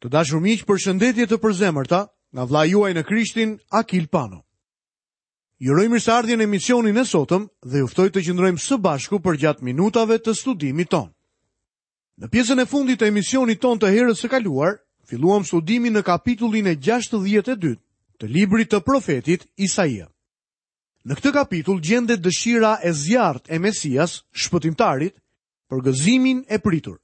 Të dashur miq, përshëndetje të përzemërta nga vëllai juaj në Krishtin, Akil Pano. Ju uroj mirëseardhjen në emisionin e sotëm dhe ju ftoj të qëndrojmë së bashku përgjatë minutave të studimit tonë. Në pjesën e fundit të emisionit tonë të herës së kaluar, filluam studimin në kapitullin e 62 të librit të profetit Isaia. Në këtë kapitull gjendet dëshira e zjarrtë e Mesias, shpëtimtarit, për gëzimin e pritur.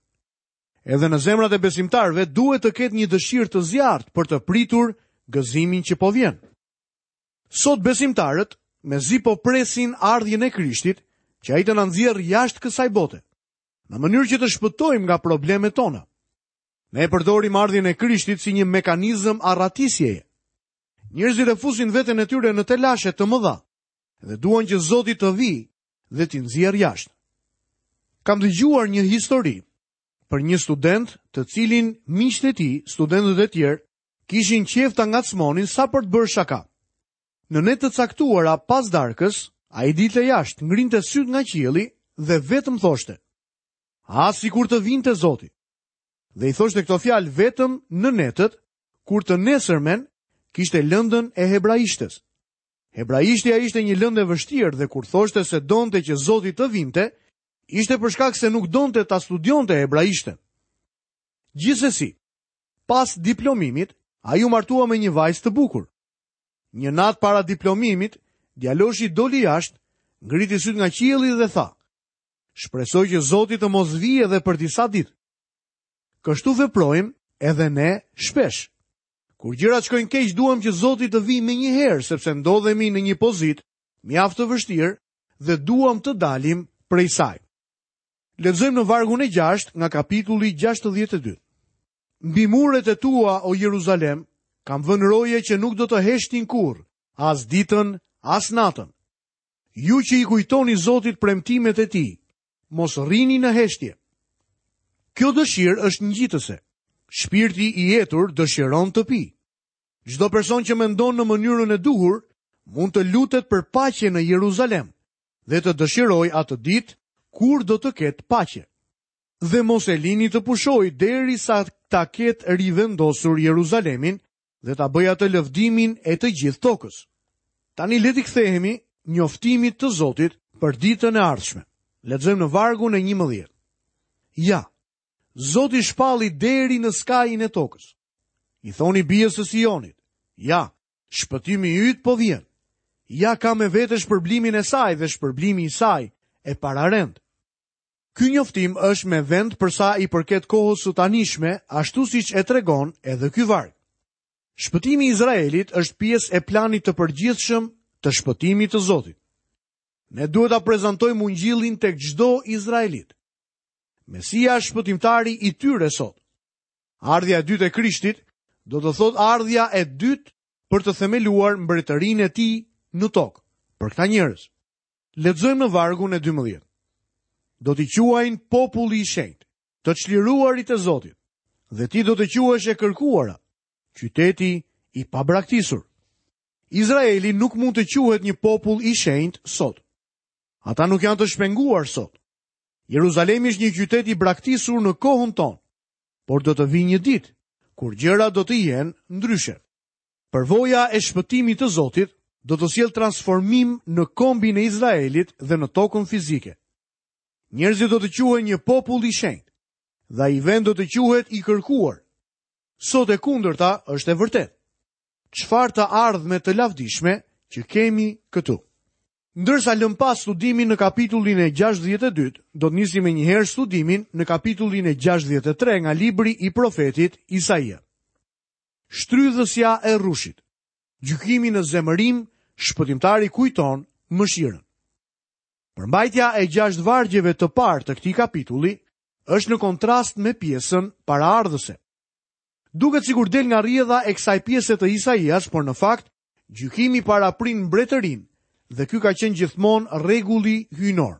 Edhe në zemrat e besimtarëve duhet të ketë një dëshirë të zjarrtë për të pritur gëzimin që po vjen. Sot besimtarët mezi po presin ardhjen e Krishtit, që ai të na nxjerrë jashtë kësaj bote, në mënyrë që të shpëtojmë nga problemet tona. Ne e përdorim ardhjen e Krishtit si një mekanizëm arratisjeje. Njerëzit e fusin veten e tyre në telashe të mëdha dhe duan që Zoti të vijë dhe t'i nxjerrë jashtë. Kam dëgjuar një histori për një student të cilin miqtë e tij, studentët e tjerë, kishin qejf ta ngacmonin sa për të bërë shaka. Në netë të caktuara pas darkës, ai dilte jashtë, ngrinte sytë nga qielli dhe vetëm thoshte: "Ah, sikur të vinte Zoti." Dhe i thoshte këto fjalë vetëm në netët kur të nesërmen kishte lëndën e hebraishtes. Hebraishtja ishte një lëndë e vështirë dhe kur thoshte se donte që Zoti të vinte, ishte për shkak se nuk donte ta studionte hebraishten. Gjithsesi, pas diplomimit, ai u martua me një vajzë të bukur. Një natë para diplomimit, djaloshi doli jashtë, ngriti sytë nga qielli dhe tha: "Shpresoj që Zoti të mos vijë edhe për disa ditë." Kështu veprojmë edhe ne shpesh. Kur gjërat shkojnë keq, duam që Zoti të vijë menjëherë, sepse ndodhemi në një pozitë mjaft të vështirë dhe duam të dalim prej saj. Lexojmë në vargun e 6 nga kapitulli 62. Mbi muret e tua, o Jeruzalem, kam vënë roje që nuk do të heshtin kurrë, as ditën, as natën. Ju që i kujtoni Zotit premtimet e tij, Mos rrini në heshtje. Kjo dëshirë është ngjitëse. Shpirti i etur dëshiron të pijë. Çdo person që mendon në mënyrën e duhur mund të lutet për paqe në Jeruzalem dhe të dëshirojë atë ditë kur do të ketë paqe. Dhe mos e lini të pushojë derisa ta ketë rivendosur Jeruzalemin dhe ta bëjë atë lëvdimin e të gjithë tokës. Tani le t'i kthehemi njoftimit të Zotit për ditën e ardhshme. Lexojmë në vargun e 11. Ja, Zoti shpalli deri në skajin e tokës. I thoni bijës së Sionit, ja, shpëtimi yt po vjen. Ja ka me vete shpërblimin e saj dhe shpërblimi i saj e pararend. Ky njoftim është me vend për sa i përket kohës së tanishme, ashtu siç e tregon edhe ky varg. Shpëtimi i Izraelit është pjesë e planit të përgjithshëm të shpëtimit të Zotit. Ne duhet ta prezantojmë ungjillin tek çdo izraelit. Mesia është shpëtimtari i tyre sot. Ardhja e dytë e Krishtit do të thotë ardhja e dytë për të themeluar mbretërinë e tij në tokë për këta njerëz. Lexojmë në vargun e 12. Do t'i quajnë populli i shenjtë, të çliruarit e Zotit, dhe ti do të quhesh e kërkuara, qyteti i pabraktisur. Izraeli nuk mund të quhet një popull i shenjtë sot. Ata nuk janë të shpenguar sot. Jeruzalemi është një qytet i braktisur në kohën tonë, por do të vijë një ditë kur gjërat do të jenë ndryshe. Përvoja e shpëtimit të Zotit do të sjellë transformim në kombin e Izraelit dhe në tokën fizike. Njerëzit do të quhen një popull i shenjtë dhe ai vend do të quhet i kërkuar. Sot e kundërta është e vërtetë. Çfarë të ardhme të lavdishme që kemi këtu. Ndërsa lëmë pas studimin në kapitullin e 62, do të nisim menjëherë studimin në kapitullin e 63 nga libri i profetit Isaia. Shtrydhësja e rrushit. Gjykimi në zemërim, shpëtimtari kujton mëshirën. Përmbajtja e gjashtë vargjeve të parë të këtij kapitulli është në kontrast me pjesën paraardhëse. Duket sikur del nga rrjedha e kësaj pjese të Isaias, por në fakt gjykimi paraprin mbretërinë dhe ky ka qenë gjithmonë rregulli hyjnor.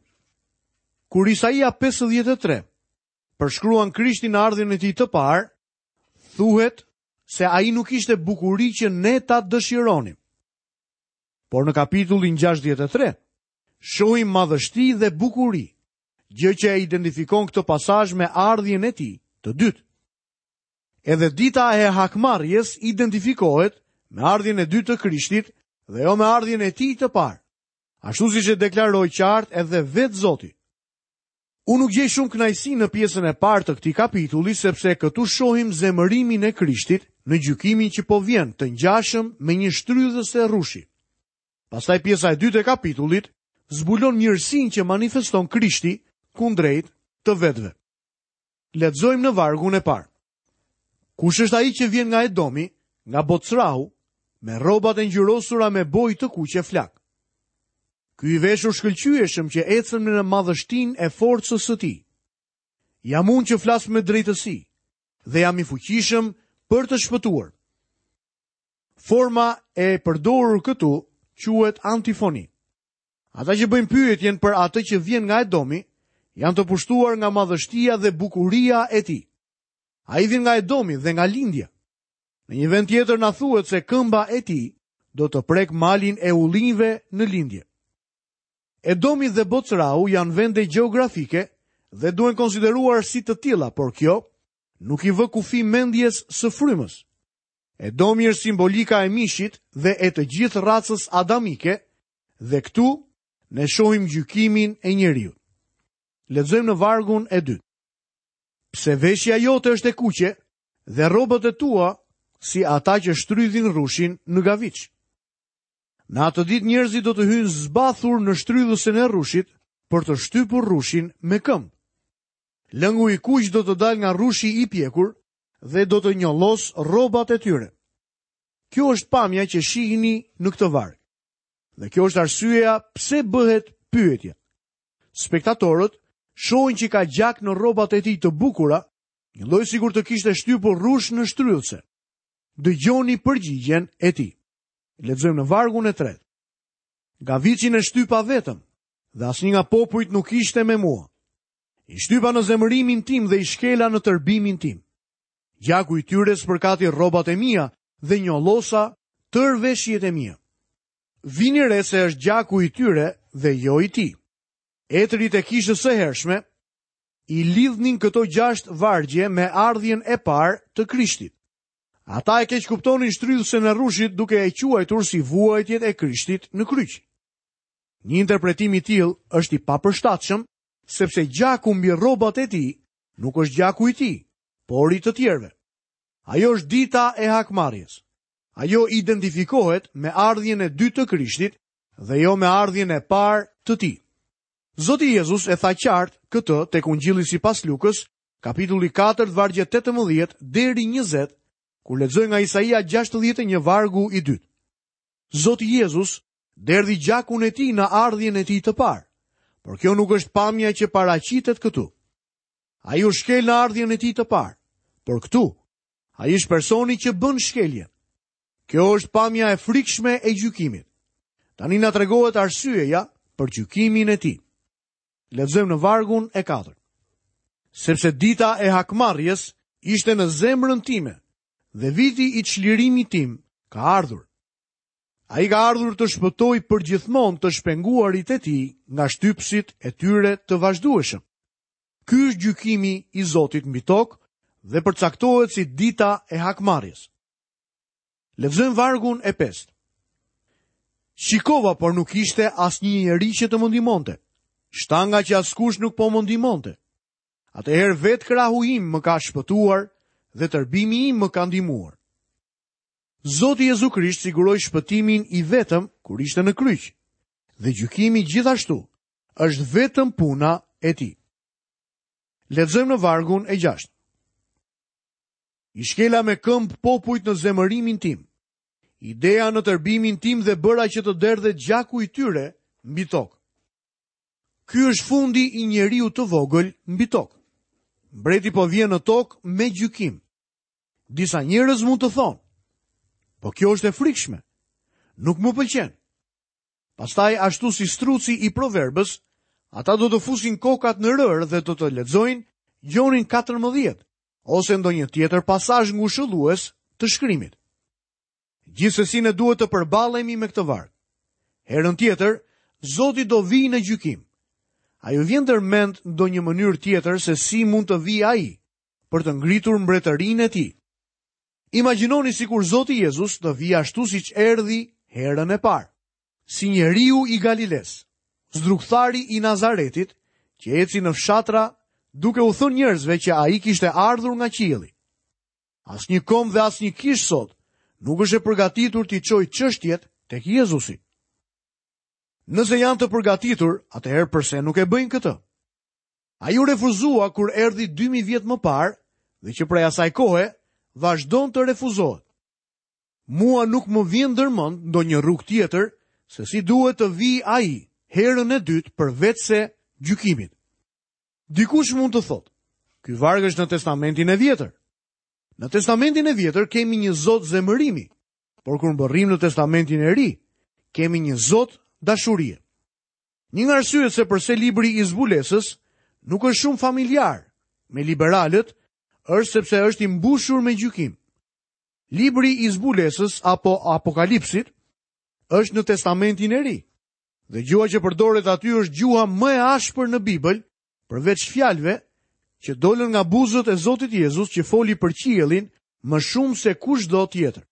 Kur Isaia 53 përshkruan Krishtin në ardhjen e tij të parë, Thuhet se ai nuk ishte bukuri që ne ta dëshironim. Por në kapitullin 63, shohim madhështi dhe bukuri, gjë që e identifikon këtë pasazh me ardhjen e tij të dytë. Edhe dita e hakmarrjes identifikohet me ardhjen e dytë të Krishtit dhe jo me ardhjen e tij të parë. Ashtu siç e deklaroi qartë edhe vetë Zoti. Unë nuk gjej shumë kënaqësi në pjesën e parë të këtij kapitulli sepse këtu shohim zemërimin e Krishtit në gjykimin që po vjen të ngjashëm me një shtrydhëse rrushi. Pastaj pjesa e dytë e kapitullit zbulon mirësinë që manifeston Krishti kundrejt të vetëve. Lexojmë në vargun e parë. Kush është ai që vjen nga Edomi, nga Bocrahu, me rrobat e ngjyrosura me bojë të kuqe flakë? Ky i veshur shkëlqyeshëm që ecën në madhështinë e forcës së tij. Jam unë që flas me drejtësi dhe jam i fuqishëm për të shpëtuar. Forma e përdorur këtu quhet antifoni. Ata që bëjnë pyetjen për atë që vjen nga Edomi, janë të pushtuar nga madhështia dhe bukuria e tij. Ai vjen nga Edomi dhe nga lindja. Në një vend tjetër na thuhet se këmba e tij do të prekë malin e ullinjve në lindje. Edomi dhe Bocrau janë vende gjeografike dhe duhen konsideruar si të tilla, por kjo nuk i vë kufi mendjes së frymës. Edomi është simbolika e mishit dhe e të gjithë racës adamike dhe këtu ne shohim gjykimin e njeriut. Lexojmë në vargun e dytë. Pse veshja jote është e kuqe dhe rrobat e tua si ata që shtrydhin rrushin në gaviç. Në atë ditë njerëzit do të hyjnë zbathur në shtrydhësen e rrushit për të shtypur rrushin me këmbë. Lëngu i kuq do të dalë nga rrushi i pjekur dhe do të njollosë rrobat e tyre. Kjo është pamja që shihni në këtë varg. Dhe kjo është arsyeja pse bëhet pyetja. Spektatorët shohin që ka gjak në rrobat e tij të bukura, njëlloj sikur të kishte shtypur rrush në shtrydhëse. Dëgjoni përgjigjen e tij. Lexojmë në vargun e tretë. Gaviçin e shtypa vetëm dhe asnjë nga popujt nuk ishte me mua. I shtypa në zemërimin tim dhe i shkela në tërbimin tim. Gjaku i tyre spërkati rrobat e mia dhe njollosa tërë veshjet e mia. Vini re se është gjaku i tyre dhe jo i tij. Etërit e kishës së hershme i lidhnin këto gjashtë vargje me ardhjen e parë të Krishtit. Ata e keqkuptonin shtrydhësen e rrushit duke e quajtur si vuajtjet e Krishtit në kryq. Një interpretim i tillë është i papërshtatshëm, sepse gjaku mbi rrobat e tij nuk është gjaku i tij, por i të tjerëve. Ajo është dita e hakmarrjes. Ajo identifikohet me ardhjen e dytë të Krishtit dhe jo me ardhjen e parë të tij. Zoti Jezus e tha qartë këtë tek Ungjilli sipas Lukës, kapitulli 4, vargjet 18 deri 20, kur lexoi nga Isaia 61 vargu i dytë. Zoti Jezus derdhi gjakun e tij në ardhjen e tij të parë, por kjo nuk është pamja që paraqitet këtu. Ai u shkel në ardhjen e tij të parë, por këtu ai është personi që bën shkeljen. Kjo është pamja e frikshme e gjykimit. Tani na tregohet arsyeja për gjykimin e tij. Lexojmë në vargun e katërt. Sepse dita e hakmarrjes ishte në zemrën time dhe viti i çlirimit tim ka ardhur. Ai ka ardhur të shpëtojë përgjithmonë të shpenguarit e tij nga shtypësit e tyre të vazhdueshëm. Ky është gjykimi i Zotit mbi tokë dhe përcaktohet si dita e hakmarrjes. Lexojmë vargun e pestë. Shikova, por nuk ishte asnjë njeri që të më ndihmonte. Shtanga që askush nuk po më ndihmonte. Atëherë vetë krahu im më ka shpëtuar dhe tërbimi im më ka ndihmuar. Zoti Jezu Krisht siguroi shpëtimin i vetëm kur ishte në kryq. Dhe gjykimi gjithashtu është vetëm puna e tij. Lexojmë në vargun e gjashtë. I shkela me këmbë popujt në zemërimin tim. I deha në tërbimin tim dhe bëra që të derdhet gjaku i tyre mbi tokë. Ky është fundi i njeriut të vogël mbi tokë. Mbreti po vjen në tokë me gjykim. Disa njerëz mund të thonë, po kjo është e frikshme. Nuk më pëlqen. Pastaj ashtu si struci i proverbës, ata do të fusin kokat në rërë dhe do të lexojnë Gjonin 14 ose ndonjë tjetër pasazh ngushëllues të shkrimit. Gjithsesi ne duhet të përballemi me këtë varg. Herën tjetër, Zoti do vijë në gjykim. A ju vjen ndër mend ndonjë mënyrë tjetër se si mund të vijë ai për të ngritur mbretërinë e tij? Imagjinoni sikur Zoti Jezus të vijë ashtu siç erdhi herën e parë, si njeriu i Galilesë, zdrukthari i Nazaretit, që eci në fshatra duke u thënë njerëzve që ai kishte ardhur nga qielli. Asnjë komb dhe asnjë kishë sot nuk është e përgatitur t'i çojë çështjet tek Jezusi. Nëse janë të përgatitur, atëherë përse nuk e bëjnë këtë? Ai u refuzua kur erdhi 2000 vjet më parë dhe që prej asaj kohe vazhdon të refuzohet. Mua nuk më vjen ndërmend ndonjë rrugë tjetër se si duhet të vijë ai herën e dytë përveçse gjykimit. Dikush mund të thotë, ky varg është në Testamentin e Vjetër. Në Testamentin e Vjetër kemi një Zot zemërimi, por kur mbërrijmë në Testamentin e Ri, kemi një Zot dashurie. Një nga arsyet se përse libri i zbulesës nuk është shumë familjar me liberalët është sepse është i mbushur me gjykim. Libri i zbulesës apo Apokalipsit është në Testamentin e Ri. Dhe gjuha që përdoret aty është gjuha më e ashpër në Bibël, përveç fjalëve që dolën nga buzët e Zotit Jezus që foli për qiellin më shumë se kushdo tjetër.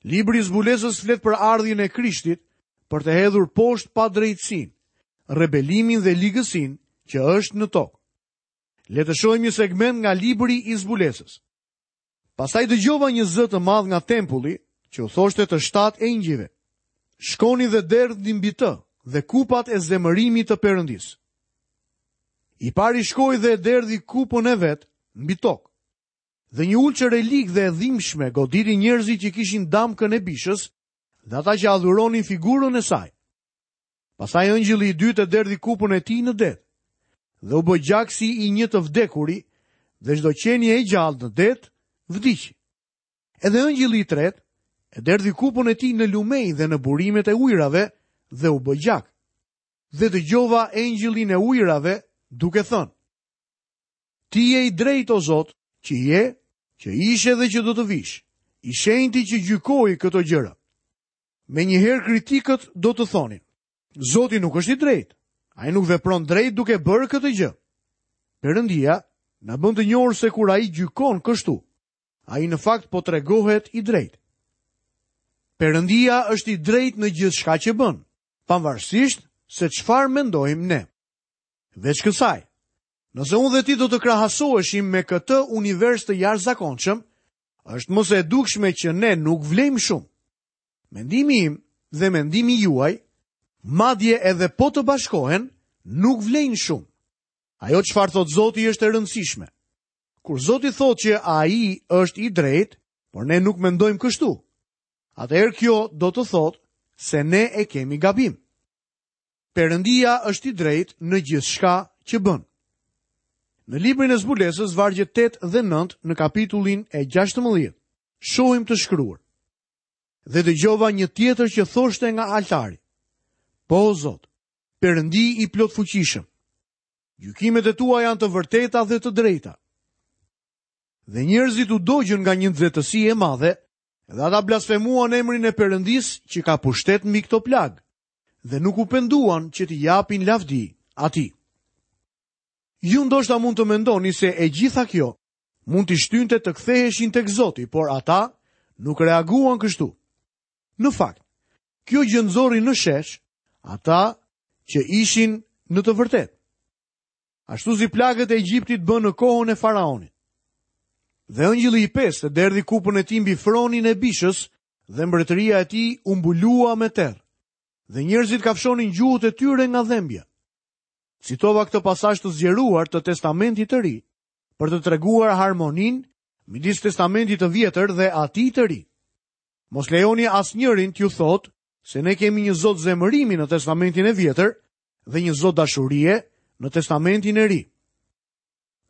Libri i zbulesës flet për ardhjen e Krishtit për të hedhur poshtë padrejtësinë, rebelimin dhe ligësinë që është në tokë. Le të shohim një segment nga libri i zbulesës. Pastaj dëgjova një zë të madh nga tempulli që u thoshte të shtatë engjëjve: Shkoni dhe derdhni mbi të dhe kupat e zemërimit të Perëndisë. I pari shkoi dhe e derdhi kupën e vet mbi tokë. Dhe një ulçër e ligë dhe e dhimbshme goditi njerëzit që kishin damkën e bishës dhe ata që adhuronin figurën e saj. Pastaj engjëlli i dytë e derdhi kupën e tij në det dhe u bë gjak si i një të vdekuri dhe çdo qenie e gjallë në det vdiq. Edhe engjëlli i tretë e derdhi kupën e tij në lumenj dhe në burimet e ujërave dhe u bë gjak. Dhe dëgjova engjëllin e ujërave duke thënë: Ti je i drejtë o Zot, që je, që ishe dhe që do të vish, i shenjti që gjykoi këto gjëra. Menjëherë kritikët do të thonin, Zoti nuk është i drejtë. Ai nuk vepron drejt duke bërë këtë gjë. Perëndia na bën të njohur se kur ai gjykon kështu, ai në fakt po tregohet i drejtë. Perëndia është i drejtë në gjithçka që bën, pavarësisht se çfarë mendojmë ne. Veç kësaj, nëse unë dhe ti do të krahasoheshim me këtë univers të jashtëzakonshëm, është më se e dukshme që ne nuk vlejmë shumë. Mendimi im dhe mendimi juaj, madje edhe po të bashkohen, nuk vlejnë shumë. Ajo çfarë thotë Zoti është e rëndësishme. Kur Zoti thotë që ai është i drejtë, por ne nuk mendojmë kështu, atëherë kjo do të thotë se ne e kemi gabim. Perëndia është i drejtë në gjithçka që bën. Në librin e zbulesës, vargjet 8 dhe 9 në kapitullin e 16, shohim të shkruar. Dhe dëgjova një tjetër që thoshte nga altari. Po, Zot, Perëndi i plotfuqishëm. Gjykimet e tua janë të vërteta dhe të drejta. Dhe njerëzit u dogjën nga një nxehtësi e madhe, dhe ata blasfemuan emrin e Perëndisë që ka pushtet mbi këto plagë, dhe nuk u penduan që t'i japin lavdi atij. Ju ndoshta mund të mendoni se e gjitha kjo mund t'i shtynte të ktheheshin tek Zoti, por ata nuk reaguan kështu. Në fakt, kjo gjë nxori në shesh ata që ishin në të vërtetë. Ashtu si plagët e Egjiptit bënë në kohën e faraonit. Dhe engjëlli i pestë derdhi kupën e tij mbi fronin e bishës dhe mbretëria e tij u mbulua me terr. Dhe njerëzit kafshonin gjuhët e tyre nga dhembja. Citova këtë pasazh të zgjeruar të Testamentit të Ri për të treguar harmoninë midis Testamentit të Vjetër dhe atij të Ri. Mos lejoni asnjërin t'ju thotë se ne kemi një Zot zemërimi në Testamentin e Vjetër dhe një Zot dashurie në Testamentin e Ri.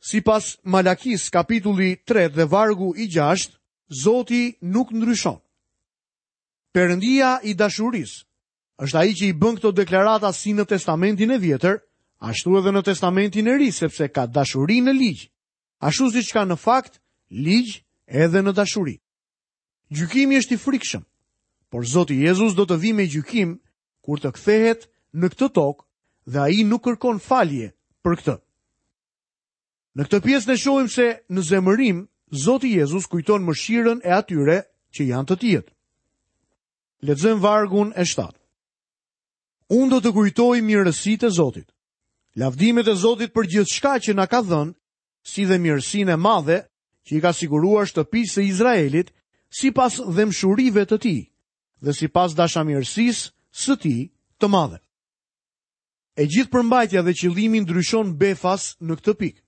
Sipas Malakisë kapitulli 3 dhe vargu i 6, Zoti nuk ndryshon. Perëndia i dashurisë është ai që i bën këto deklarata si në Testamentin e Vjetër, ashtu edhe në Testamentin e Ri, sepse ka dashuri në ligj, ashtu siç ka në fakt ligj edhe në dashuri. Gjykimi është i frikshëm, por Zoti Jezus do të vijë me gjykim kur të kthehet në këtë tokë dhe ai nuk kërkon falje për këtë. Në këtë pjesë ne shohim se në zemërim. Zoti Jezus kujton mëshirën e atyre që janë të tijët. Lexojmë vargun e 7. Unë do të kujtoj mirësitë e Zotit. Lavdimet e Zotit për gjithçka që na ka dhënë, si dhe mirësinë e madhe që i ka siguruar shtëpisë së Izraelit sipas dhembshurive të tij dhe sipas dashamirësisë së tij të madhe. E gjithë përmbajtja dhe qëllimi ndryshon befas në këtë pikë.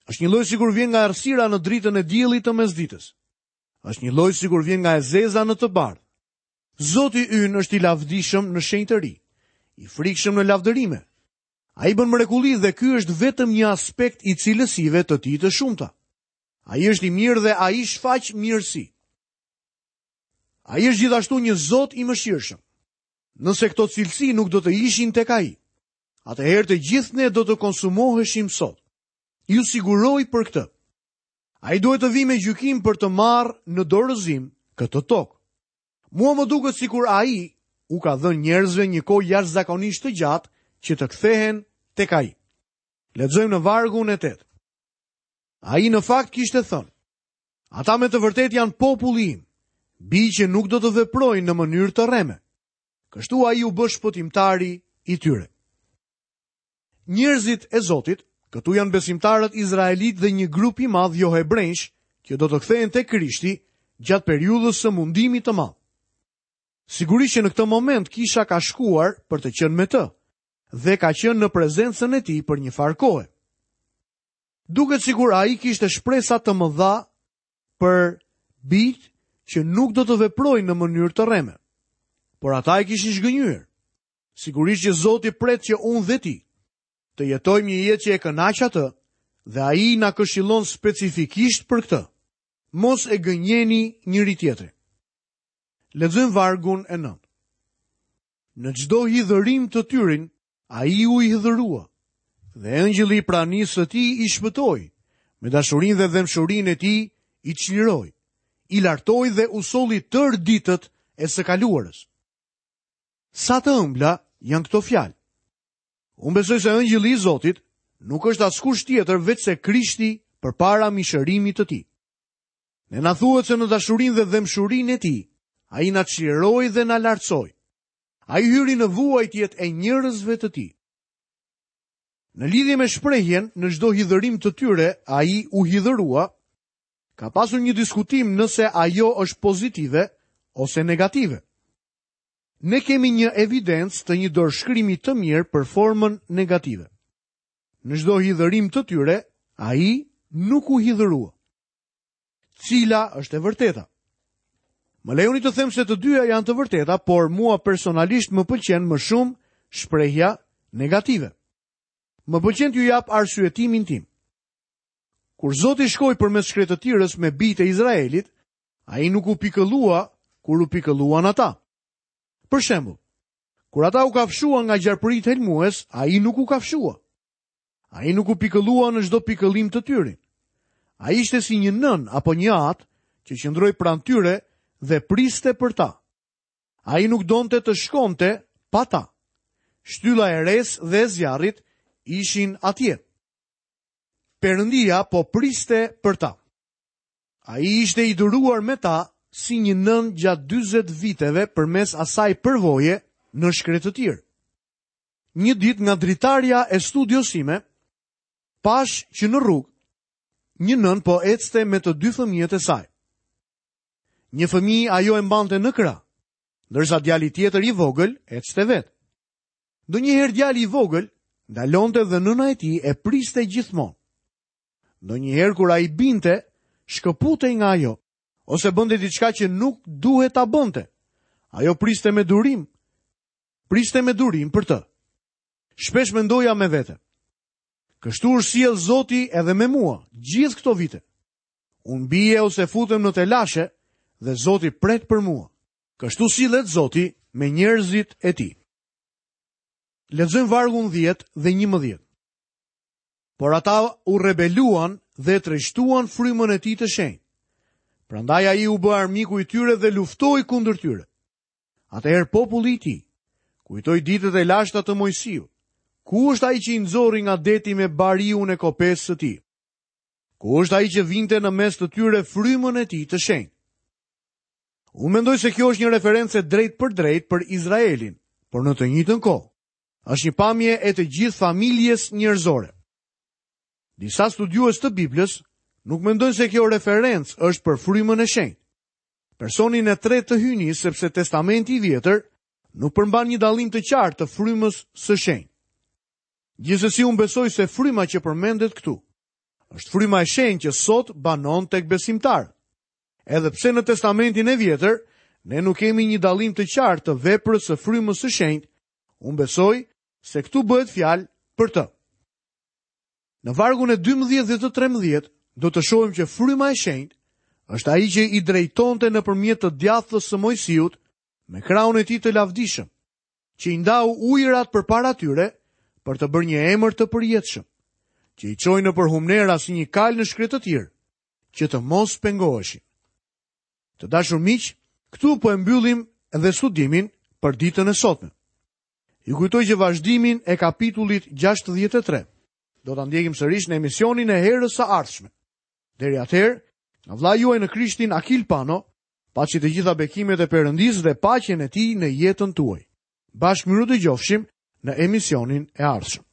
Është njëlloj sikur vjen nga errësira në dritën e diellit të mesditës. Është njëlloj sikur vjen nga e zeza në të bardhë. Zoti ynë është i lavdishëm në shenjtëri, i frikshëm në lavdërime. Ai bën mrekulli dhe ky është vetëm një aspekt i cilësive të tij të shumta. Ai është i mirë dhe ai shfaq mirësi. Ai është gjithashtu një Zot i mëshirshëm. Nëse këto cilësi nuk do të ishin tek ai, atëherë të gjithë ne do të konsumoheshim sot. Ju siguroj për këtë. Ai duhet të vijë me gjykim për të marrë në dorëzim këtë tokë. Mua më duket sikur ai u ka dhënë njerëzve një kohë jashtëzakonisht të gjatë që të kthehen tek ai. Lexojmë në vargun e 8. Ai në fakt kishte thënë: Ata me të vërtetë janë populli im, bij që nuk do të veprojnë në mënyrë të rreme. Kështu ai u bë shpëtimtari i tyre. Njerëzit e Zotit, këtu janë besimtarët izraelitë dhe një grup i madh johebrenjsh që do të kthehen te Krishti gjatë periudhës së mundimit të madh. Sigurisht që në këtë moment kisha ka shkuar për të qenë me të dhe ka qenë në prezencën e tij për një farë kohe. Duket sikur ai kishte shpresa të mëdha për bijtë që nuk do të veprojnë në mënyrë të rreme. Por ata e kishin zhgënjyer. Sigurisht që Zoti pret që unë dhe ti të jetojmë një jetë që e kënaq atë dhe ai na këshillon specifikisht për këtë. Mos e gënjeni njëri-tjetrin. Lexojmë vargun e 9. Në çdo hidhërim të tyrin, ai u hidhërua dhe engjëlli i pranisë së tij i shpëtoi, me dashurinë dhe dhembshurinë e tij i çliroi, i lartoi dhe u solli tërë ditët e së kaluarës. Sa të ëmbla janë këto fjalë. Unë besoj se engjëlli i Zotit nuk është askush tjetër veçse Krishti përpara mishërimit të tij. Ne na thuhet se në dashurinë dhe dhembshurinë e tij, ai na çliroi dhe na lartësoi. Ai hyri në vuajtjet e njerëzve të tij. Në lidhje me shprehjen në çdo hidhërim të tyre, ai u hidhërua, ka pasur një diskutim nëse ajo është pozitive ose negative. Ne kemi një evidencë të një dorëshkrimi të mirë për formën negative. Në çdo hidhërim të tyre, ai nuk u hidhërua. Cila është e vërteta? Më lejoni të them se të dyja janë të vërteta, por mua personalisht më pëlqen më shumë shprehja negative. Më pëlqen t'ju jap arsyetimin tim. Kur Zoti shkoi përmes shkretëtirës me bijtë e Izraelit, Ai nuk u pikëllua kur u pikëlluan ata. Për shembull, kur ata u kafshuan nga gjarpërinjtë helmues, ai nuk u kafshua. Ai nuk u pikëllua në çdo pikëllim të tyrin. Ai ishte si një nënë apo një atë që qëndroi pranë tyre dhe priste për ta. Ai nuk donte të shkonte pa ta. Shtylla e resë dhe e zjarrit ishin atje. Perëndia po priste për ta. Ai ishte i duruar me ta si një nënë gjatë 40 viteve përmes asaj përvoje në shkretëtirë. Një ditë nga dritarja e studios sime, pashë që në rrugë, një nënë po ecte me të dy fëmijët e saj. Një fëmijë ajo e mbante në krah, ndërsa djali tjetër i vogël ecte vetë. Ndonjëherë djali i vogël ndalonte dhe nëna e tij e priste gjithmonë. Ndonjëherë kur ai binte, shkëputej nga ajo, ose bënte diçka që nuk duhet ta bënte. Ajo priste me durim, priste me durim për të. Shpesh mendoja me vete. Kështu është sjellë Zoti edhe me mua, gjithë këto vite. Unë bie ose futem në telashe dhe Zoti pret për mua. Kështu sillet Zoti me njerëzit e tij. Lexojmë vargun 10 dhe 11. Por ata u rebeluan dhe trishtuan frymën e tij të shenjtë. Prandaj ai u bë armiku i tyre dhe luftoi kundër tyre. Atëherë populli i tij kujtoi ditët e lashta të Moisiut. Ku është ai që i nxori nga deti me bariun e kopesë së tij? Ku është ai që vinte në mes të tyre frymën e tij të shenjtë? Unë mendoj se kjo është një referencë e drejtpërdrejtë për Izraelin, por në të njëjtën kohë, është një pamje e të gjithë familjes njerëzore. Disa studiues të Biblës nuk mendojnë se kjo referencë është për frymën e shenjtë. Personin e tretë të hyjnisë sepse Testamenti i Vjetër nuk përmban një dallim të qartë të frymës së shenjtë. Gjithsesi unë besoj se fryma që përmendet këtu është fryma e shenjtë që sot banon tek besimtarët. Edhe pse në Testamentin e Vjetër ne nuk kemi një dallim të qartë të veprës së frymës së shenjtë, unë besoj se këtu bëhet fjalë për të. Në vargun e 12 dhe të 13 do të shohim që fryma e shenjtë është ai që i drejtonte nëpërmjet të djathtës së Moisiut me krahun e tij të lavdishëm, që i ndau ujërat përpara tyre për të bërë një emër të përjetshëm, që i çoi nëpër humnera si një kalë në shkretëtirë, që të mos pengoheshin. Të dashur miq, këtu po e mbyllim edhe studimin për ditën e sotme. Ju kujtoj që vazhdimin e kapitullit 63 do ta ndjekim sërish në emisionin e herës së ardhshme. Deri atëherë, nga vëllai juaj në Krishtin Akil Pano, paçi të gjitha bekimet e Perëndisë dhe paqen e tij në jetën tuaj. Bashkë mirudëgjofshim në emisionin e ardhshëm.